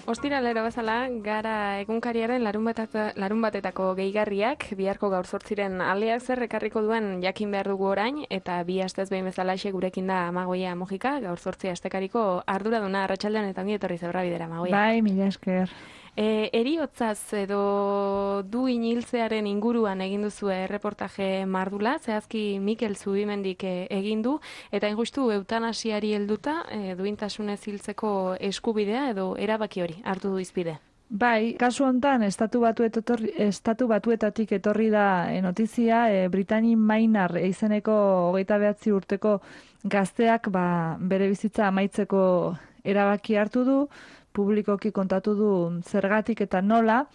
Ostiralero bezala, gara egunkariaren larun batetako gehigarriak, biharko gaur zortziren aleak zer ekarriko duen jakin behar dugu orain, eta bi astez behin bezalaxe gurekin da Amagoia Mojika, gaur zortzi astekariko arduraduna arratsaldean eta ongi etorri zebra bidera, Amagoia. Bai, mila esker. Heriotzaz edo duin hiltzearen inguruan egin duzu erreportaje mardula, zehazki Mikel Zubimendik egin du, eta injustu eutanasiari helduta duintasunez hiltzeko eskubidea edo erabaki hori hartu du izpide. Bai, kasu hontan estatu batuetatik etorri da notizia, Brittany Maynard izeneko 29 urteko gazteak bere bizitza amaitzeko erabaki hartu du, publikoki kontatu du zergatik eta nola,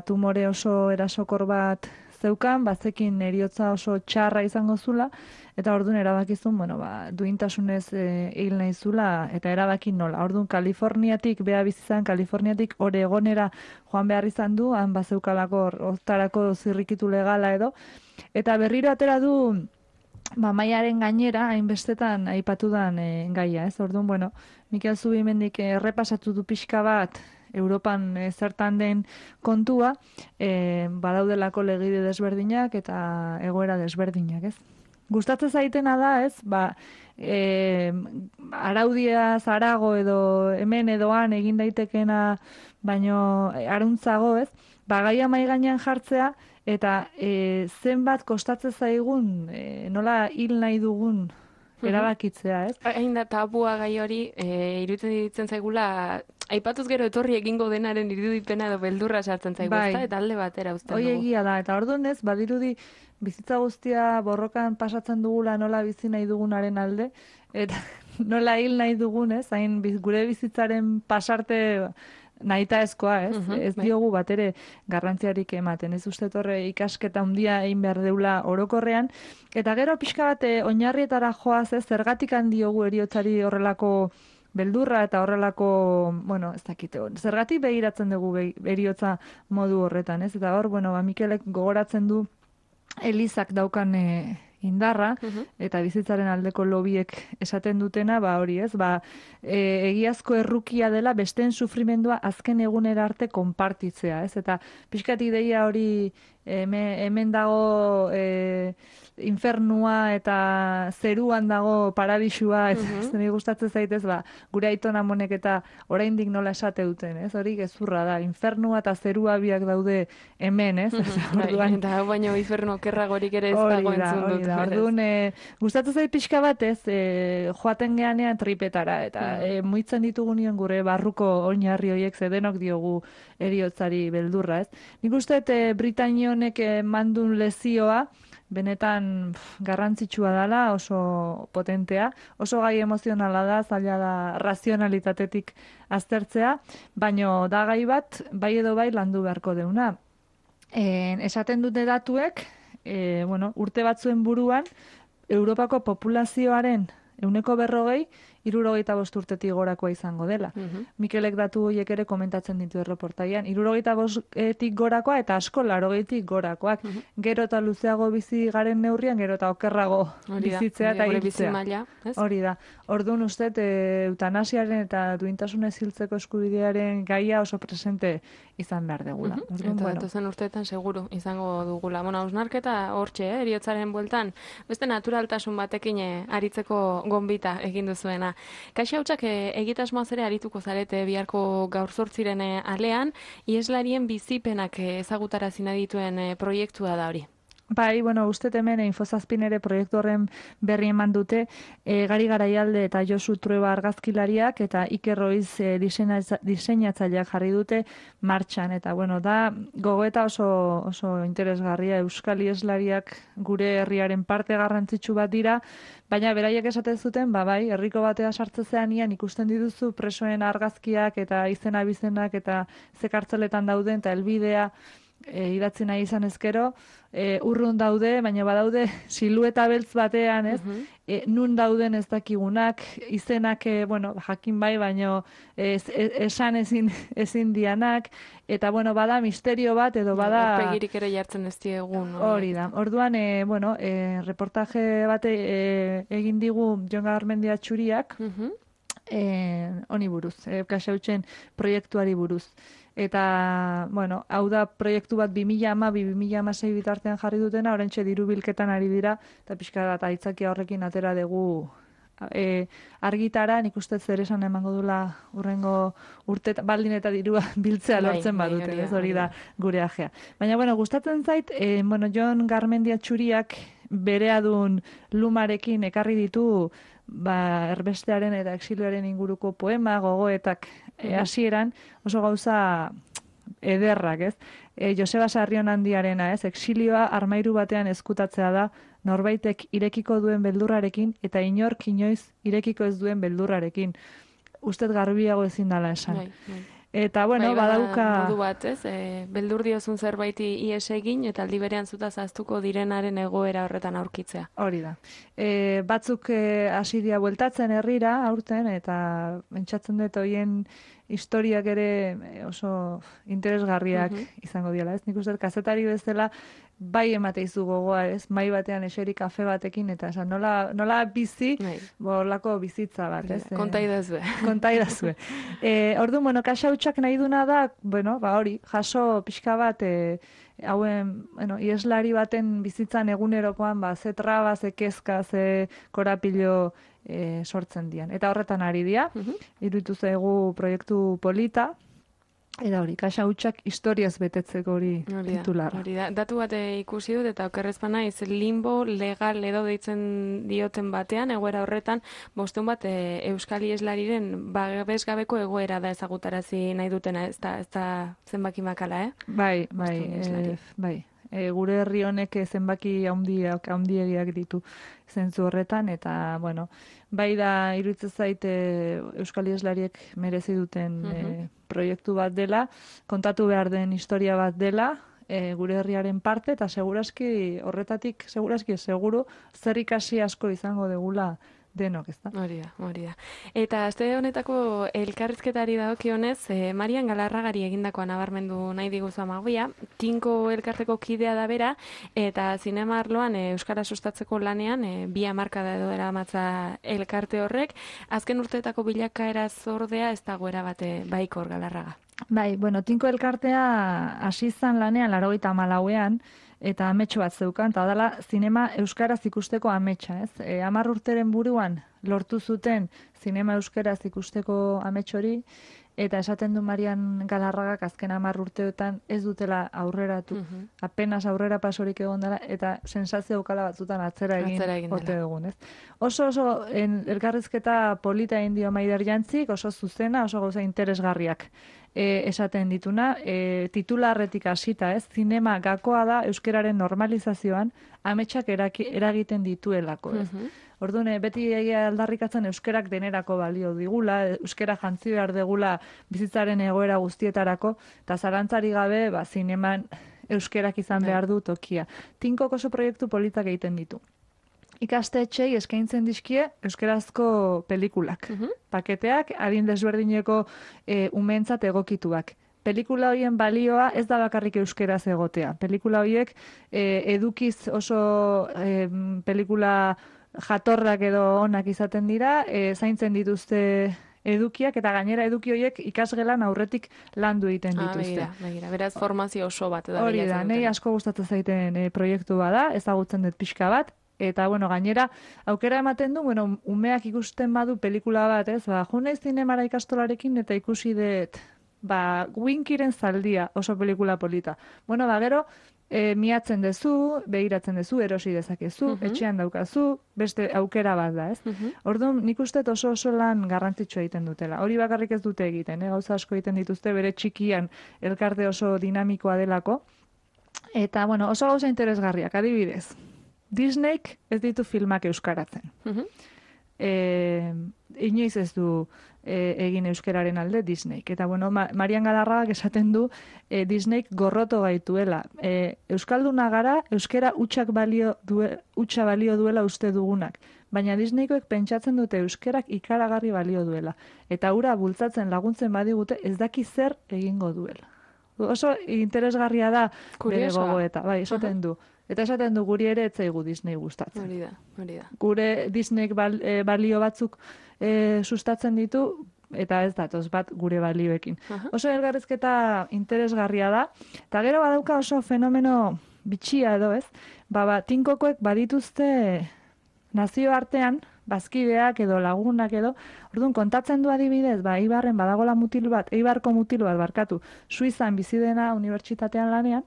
tumore oso erasokor bat zeukan, bazekin heriotza oso txarra izango zula, eta orduan erabakizun, duintasunez hil nahi zula, eta erabaki nola. Orduan Kaliforniatik, Kaliforniatik Oregonera joan behar izan du, han bazeukalako hortarako zirrikitu legala edo, eta berriro atera du maiaren gainera, hainbestetan aipatudan gaia, ez? Orduan, Mikel Zubimendik errepasatu du pixka bat Europan zertan den kontua, badaudelako legide desberdinak eta egoera desberdinak, ez? Gustatzen zaitena da, ez? Araudiaz arago edo hemen edoan egin daitekena baino aruntzago, ez? Gaia mahai gainean jartzea eta zenbat kostatzen zaigun, nola hil nahi dugun erabakitzea, ez? Hain da tabua gai hori, iruditzen ditzen zaigula, aipatuz gero etorri egingo denaren irudipena edo beldurra sartzen zaigu, ezta? Eta alde batera uzten dugu. Hoi egia da, eta orduan ez, badirudi bizitza guztia borrokan pasatzen dugula nola bizi nahi dugunaren alde, eta nola hil nahi dugun, ez? Hain gure bizitzaren pasarte nahita ezkoa, ez? Ez diogu bat ere garrantziarik ematen. Ez uste torre ikasketa handia egin behar deula orokorrean. Eta gero pixka bat oinarrietara joaz, ez? Zergatik handiogu heriotzari horrelako beldurra eta horrelako, ez dakite, zergatik begiratzen dugu heriotza modu horretan, ez? Eta hor, Mikelek gogoratzen du Elizak daukan indarra, eta bizitzaren aldeko lobiek esaten dutena, hori ez, egiazko errukia dela besteen sufrimendua azken egunera arte konpartitzea, ez? Eta pixkat ideia hori hemen dago infernua eta zeruan dago paradisua, ez nire gustatzen zaitez, gure aiton amonek eta oraindik nola esate duten, ez? Hori gezurra da, infernua eta zerua biak daude hemen, ez? Eta baino infernu okerragorik ere ez dago entzun dut. Orduan, gustatzen zait pixka bat, ez? Joaten geanean tripetara, eta muitzen ditugunien gure barruko oinarri horiek zedenok diogu heriotzari beldurra, ez? Nik uste Britainia honek mandun lezioa, benetan garrantzitsua dela, oso potentea, oso gai emozionala da, zaila da razionalitatetik aztertzea, baino da gai bat, bai edo bai landu beharko deuna. Esaten dute datuek, urte batzuen buruan, Europako populazioaren 40%, 65 urtetik gorakoa izango dela. Mikelek datu horiek ere komentatzen ditu erreportaian. 65tik gorakoa eta asko 80tik gorakoak. Gero eta luzeago bizi garen neurrian, gero eta okerrago bizitzea eta hiltzea. Hori da. Orduan uste, eutanasiaren eta duintasunez hiltzeko eskubidearen gaia oso presente izan behar degula. Eta datozen urteetan seguru izango dugula. Hausnarketa hortxe, heriotzaren bueltan, beste naturaltasun batekin aritzeko gonbita egin duzuena. Kaixo hautsak egitasmoaz ere arituko zarete biharko gaur zortziren alean, ieslarien bizipenak ezagutarazi nahi dituen proiektua da hori. Bai, uste hemen Infozazpin ere proiektu horren berri eman dute, Gari Garaialde eta Josu Trueba argazkilariak eta Iker Roiz diseinatzaileak jarri dute martxan. Eta da gogoeta oso interesgarria, Euskal Ieslariak gure herriaren parte garrantzitsu bat dira, baina beraiek esaten zuten, bai, herriko batea sartzezean ikusten dituzu presoen argazkiak eta izena-bizenak eta ze kartzeletan dauden eta helbidea idatzi nahi izan ezkero, urrun daude, baina badaude silueta beltz batean, ez? Nun dauden ez dakigunak, izenak, jakin bai, baina esan ezin dianak, eta, bada misterio bat, edo bada... Aurpegirik ere jartzen ez diegun. Hori da. Orduan, reportaje bat egin digu Jon Garmendia Txuriak, honi buruz, Kaxautxen proiektuari buruz. Eta, bueno, hau da proiektu bat 2012-2016 bitartean jarri dutena, orentxe diru bilketan ari dira, eta pixka bat aitzakia horrekin atera dugu argitara, nik uste zer esan emango dula urrengo urte, baldin eta dirua biltzea lortzen badute, ez hori da gure ajea. Baina, bueno, gustatzen zait, bueno, Jon Garmendia Txuriak bereadun lumarekin ekarri ditu, erbestearen eta exilioaren inguruko poema, gogoetak hasieran oso gauza ederrak, ez? Joseba Sarrionandiarena, ez? Exilioa armairu batean ezkutatzea da, norbaitek irekiko duen beldurrarekin eta inork inoiz irekiko ez duen beldurrarekin. Ustez garbiago ezin dala esan. Eta, bueno, badauka... modu bat, ez? Beldur diozun zerbaiti ies egin, eta aldi berean zuta zaztuko direnaren egoera horretan aurkitzea. Hori da. Batzuk hasi dira bueltatzen herrira, aurten, eta pentsatzen dut hoien historiak ere oso interesgarriak izango diala, ez? Nik uste kazetari bezala bai emateizu gogoa, ez? Mai batean eseri kafe batekin, eta esan nola bizi, borlako bizitza bat, ez? Kontaidazue. Kontaidazue. Orduan, bueno, Kaxautxak nahi duna da, bueno, hori, jaso pixka bat, hauen, bueno, ieslari baten bizitzan egunerokoan, ze traba, ze kezka, ze korapilo sortzen dian. Eta horretan ari dia, iruditu zaigu proiektu polita, eta hori, Kaxautxak historiaz betetzeko hori titularra. Hori da, datu bat ikusi dut, eta okerrezpana iz limbo legal edo deitzen dioten batean, egoera horretan, bosteun bat Euskal Ieslariren babesgabeko egoera da ezagutarazi nahi dutena, ez da zenbaki makala, Bai. Gure herri honek zenbaki handiegiak ditu zentzu horretan, eta, bueno, bai da iruditzen zait Euskal Ieslariek merezi duten proiektu bat dela, kontatu behar den historia bat dela, gure herriaren parte, eta seguraski horretatik, seguru, zer ikasi asko izango degula denok, ez da? Hori da. Eta aste honetako elkarrizketari dagokionez, Marian Galarragari egindakoa nabarmendu nahi diguzu amagoia, Tinko elkarteko kidea da bera, eta zinema arloan euskara sustatzeko lanean, 2 hamarkada edo eramatza elkarte horrek, azken urteetako bilakaera zordea ez dagoera bate baikor Galarraga. Bai, bueno, Tinko elkartea hasi izan lanean 94ean, eta ametxo bat zeukan, eta dela zinema euskaraz ikusteko ametsa, ez? 10 urteren buruan lortu zuten zinema euskaraz ikusteko ametxori, eta esaten du Marian Galarragak azken 10 urteetan ez dutela aurreratu, apenas aurrera pasorik egon dela, eta sensazio aukala batzutan atzera egin ote dugun, ez? Oso elkarrizketa polita egin dio Maider Jantzik, oso zuzena, oso gauza interesgarriak esaten dituna, titularretik hasita, ez? Zinema gakoa da euskararen normalizazioan ametsak eragiten dituelako, ez? Orduan, beti egia aldarrikatzen euskerak denerako balio digula, euskera jantzi behar degula bizitzaren egoera guztietarako, eta zarantzari gabe, zineman euskerak izan behar du tokia. Tinkok oso proiektu politak egiten ditu. Ikastetxei eskaintzen dizkie euskerazko pelikulak. Paketeak, adin desberdineko umeentzat egokituak. Pelikula horien balioa ez da bakarrik euskeraz egotea. Pelikula horiek edukiz oso pelikula jatorrak edo onak izaten dira, zaintzen dituzte edukiak, eta gainera eduki horiek ikasgelan aurretik landu egiten dituzte. Begira, beraz formazio oso bat. Hori da, nahi asko gustatzen zaiten proiektu bada, ezagutzen dut pixka bat, eta, bueno, gainera, aukera ematen du, bueno, umeak ikusten badu pelikula bat, ez, jo naiz zinemara ikastolarekin eta ikusi dut, Winkiren zaldia, oso pelikula polita. Bueno, gero, miatzen dezu, begiratzen dezu, erosi dezakezu, etxean daukazu, beste aukera bat da, ez? Orduan, nik uste oso lan garrantzitsua egiten dutela. Hori bakarrik ez dute egiten, gauza asko egiten dituzte bere txikian elkarte oso dinamikoa delako. Eta, bueno, oso gauza interesgarriak, adibidez. Disneyk ez ditu filmak euskaratzen. Inoiz ez du egin euskararen alde Disneyk. Eta, bueno, Marian Galarragak esaten du Disneyk gorroto gaituela. Euskalduna gara, euskara hutsa balio duela uste dugunak. Baina Disneykoek pentsatzen dute euskarak ikaragarri balio duela. Eta hura bultzatzen laguntzen badigute ez daki zer egingo duela. oso interesgarria da bere Kuriosoa. gogoeta, bai, esaten du. Eta esaten du guri ere ez zaigu Disney gustatzen. Hori da. Gure Disneyk balio batzuk sustatzen ditu, eta ez datoz bat gure balioekin. Oso elgarrizketa interesgarria da, eta gero badauka oso fenomeno bitxia edo, ez? Tinkokoek badituzte nazioartean, bazkideak edo lagunak edo, orduan kontatzen du adibidez, Eibarren badagola Eibarko mutil bat barkatu, Suizan bizi dena unibertsitatean lanean,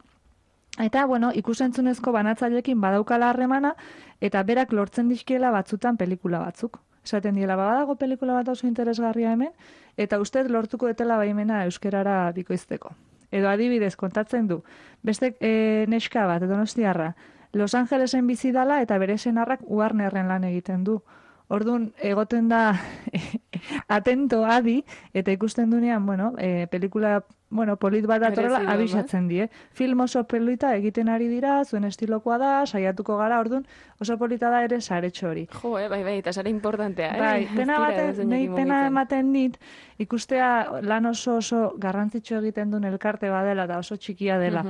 eta, ikusentzunezko banatzailekin badaukala harremana, eta berak lortzen dizkiela batzutan pelikula batzuk. Esaten diela, badago pelikula bat oso interesgarria hemen, eta ustez lortuko detela baimena euskerara bikoizteko. Edo adibidez, kontatzen du, beste neska bat, Donostiarra, Los Angelesen bizi dala eta bere senarrak Warnerren lan egiten du. Orduan, egoten da atento adi, eta ikusten dunean, pelikula polit bat datorela, abisatzen die. Film oso polita egiten ari dira, zuen estilokoa da, saiatuko gara, orduan, oso polita da ere saretxo hori. Jo, bai, eta sare importantea, Bai, pena ematen dit, ikustea lan oso garrantzitsu egiten duen elkarte badela, eta oso txikia dela.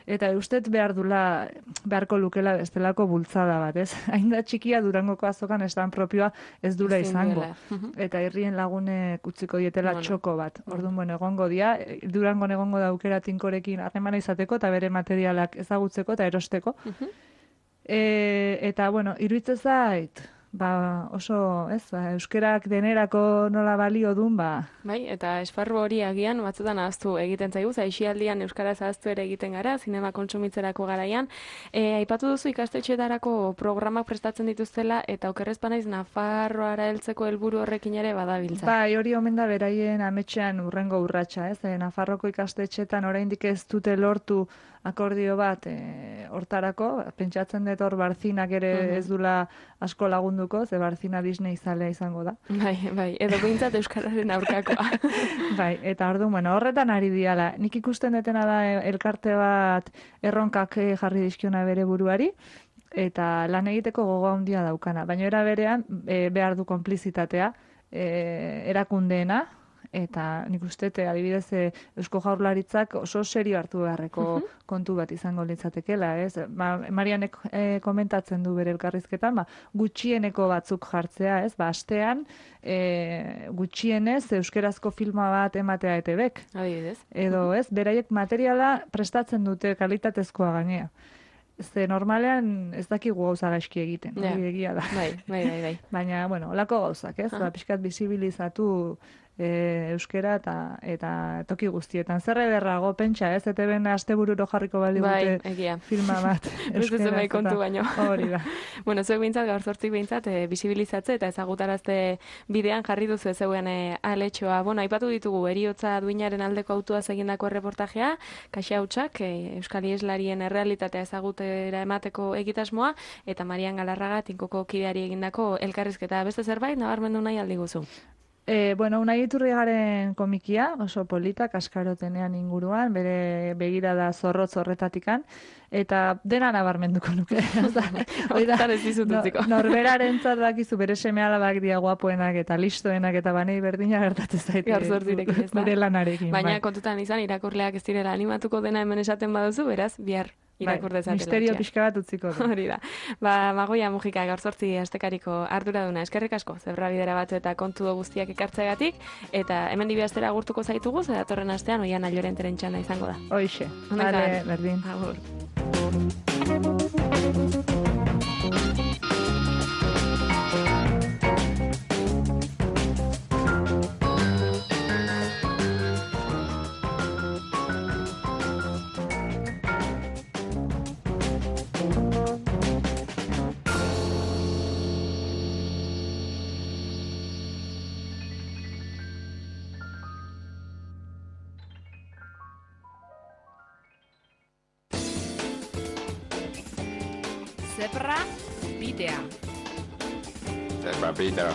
Eta ustet beharko lukela bestelako bultzada bat, ez? Hain da txikia Durangoko azokan estan propioa ez dura izango. Eta herrien lagunek utziko dietela txoko bat. Orduan, egongo dia, Durangon egongo da aukera tinkorekin harremana izateko, eta bere materialak ezagutzeko eta erosteko. Eta, iruditzen zait, oso, euskerak denerako nola balio dun, Bai, eta esparru hori agian batzutan ahaztu egiten zaigu, aisialdian euskaraz ahaztu ere egiten gara, zinema kontsumitzerako garaian. Aipatu duzu ikastetxeetarako programak prestatzen dituztela, eta okerrez banaiz Nafarroara heltzeko helburu horrekin ere badabiltza. Bai, hori omen da beraien ametxean urrengo urratsa, ez? Nafarroko ikastetxeetan oraindik ez dute lortu akordio bat hortarako, pentsatzen dut hor Barzinak ere ez dula asko lagunduko, ze Barzina Disney zalea izango da. Bai, edo behintzat euskararen aurkakoa. Bai, eta orduan, horretan ari diala. Nik ikusten detena da elkarte bat erronkak jarri dizkiona bere buruari, eta lan egiteko gogo handia daukana. Baina era berean, behar du konplizitatea, erakundeena, eta nik uste, adibidez, Eusko Jaurlaritzak oso serio hartu beharreko kontu bat izango litzatekela, ez? Marianek komentatzen du bere elkarrizketan, gutxieneko batzuk jartzea, ez? Astean, gutxienez, euskerazko filma bat ematea ETBek. Adibidez. Edo, ez? Beraiek materiala prestatzen dute kalitatezkoa gainea. Ze normalean ez dakigu gauza gaizki egiten, hori egia da. Bai. Baina, olako gauzak, ez? Pixkat bizibilizatu euskera eta toki guztietan. Zer ederrago, pentsa, ez? ETBen astebururo jarriko bali dute filma bat. Beste zenbait kontu baino. Hori da. Zuek behintzat, gaur zortzik behintzat, bizibilizatze eta ezagutarazte bidean jarri duzu zeuen aletxoa. Aipatu ditugu, heriotza duinaren aldeko autuaz egindako erreportajea, Kaxa Hautsak, Euskal Iheslarien errealitatea ezagutera emateko egitasmoa, eta Marian Galarraga tinkoko kideari egindako elkarrizketa. Beste zerbait, nabarmendu nahi aldi guzu? Unai Iturrigaren komikia, oso polita, kaskarotenean inguruan, bere begirada zorrotz horretatikan, eta dena nabarmenduko nuke. Horretan ez dizut utziko. Norberaren dakizu bere seme alabak dia guapoenak eta listoenak eta banei berdina gertatzen zaite. Garzortzirekin ez da. Bere lanarekin. Baina kontutan izan, irakurleak ez direla animatuko dena hemen esaten baduzu, beraz, bihar irakur dezatela. Misterio pixka bat utziko du. Hori da. Magoia Mujika, gaur zortzi astekariko arduraduna. Eskerrik asko, zebra bidera batzu eta kontu guztiak ekartzegatik, eta hemen dibiaztera agurtuko zaitugu, datorren astean Oiana Llorenteren txanda izango da. Hoixe. Vale, berdin. Agur. Zebra bidea. Zebra bidea.